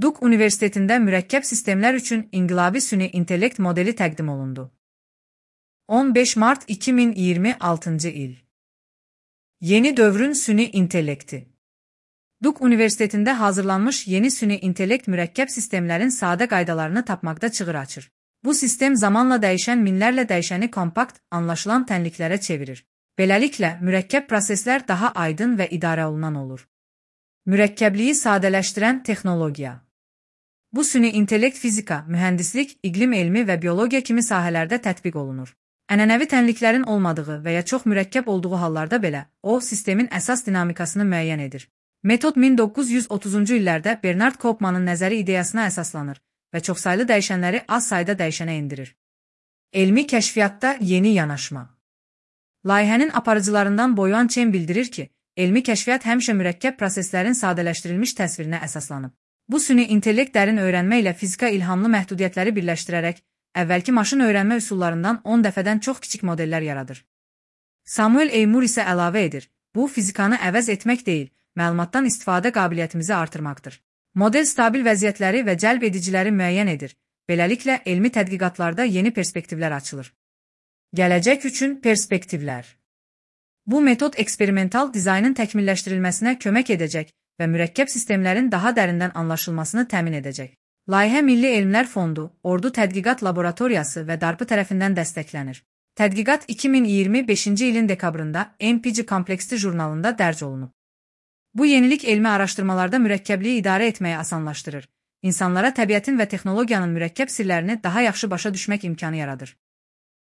Duke Universitetində mürəkkəb sistemlər üçün inqilabi süni intellekt modeli təqdim olundu. 15 mart 2026 il. Yeni dövrün süni intellekti. Duke Universitetində hazırlanmış yeni süni intellekt mürəkkəb sistemlərin sadə qaydalarını tapmaqda çığır açır. Bu sistem zamanla dəyişən minlərlə dəyişəni kompakt, anlaşılan tənliklərə çevirir. Beləliklə, mürəkkəb proseslər daha aydın və idarə olunan olur. Mürəkkəbliyi sadələşdirən texnologiya. Bu süni intellekt fizika, mühəndislik, iqlim elmi və biologiya kimi sahələrdə tətbiq olunur. Ənənəvi tənliklərin olmadığı və ya çox mürəkkəb olduğu hallarda belə, o, sistemin əsas dinamikasını müəyyən edir. Metod 1930-cu illərdə Bernard Koopmanın nəzəri ideyasına əsaslanır və çoxsaylı dəyişənləri az sayda dəyişənə endirir. Elmi kəşfiyyatda yeni yanaşma. Layihənin aparıcılarından Boyuan Chen bildirir ki, elmi kəşfiyyat həmişə mürəkkəb proseslərin sadələşdirilmiş təsvirinə əsaslanıb. Bu süni intellekt dərin öyrənmə ilə fizika ilhamlı məhdudiyyətləri birləşdirərək, əvvəlki maşın öyrənmə üsullarından 10 dəfədən çox kiçik modellər yaradır. Samuel A. Moore isə əlavə edir, bu fizikanı əvəz etmək deyil, məlumatdan istifadə qabiliyyətimizi artırmaqdır. Model stabil vəziyyətləri və cəlb ediciləri müəyyən edir, beləliklə elmi tədqiqatlarda yeni perspektivlər açılır. Gələcək üçün perspektivlər. Bu metod eksperimental dizaynın təkmilləşdirilməsinə kömək edəcək və mürəkkəb sistemlərin daha dərindən anlaşılmasını təmin edəcək. Layihə Milli Elmlər Fondu, Ordu Tədqiqat Laboratoriyası və DARPı tərəfindən dəstəklənir. Tədqiqat 2025-ci ilin dekabrında MPG Kompleksli jurnalında dərc olunub. Bu yenilik elmi araşdırmalarda mürəkkəbliyi idarə etməyi asanlaşdırır. İnsanlara təbiətin və texnologiyanın mürəkkəb sirlərini daha yaxşı başa düşmək imkanı yaradır.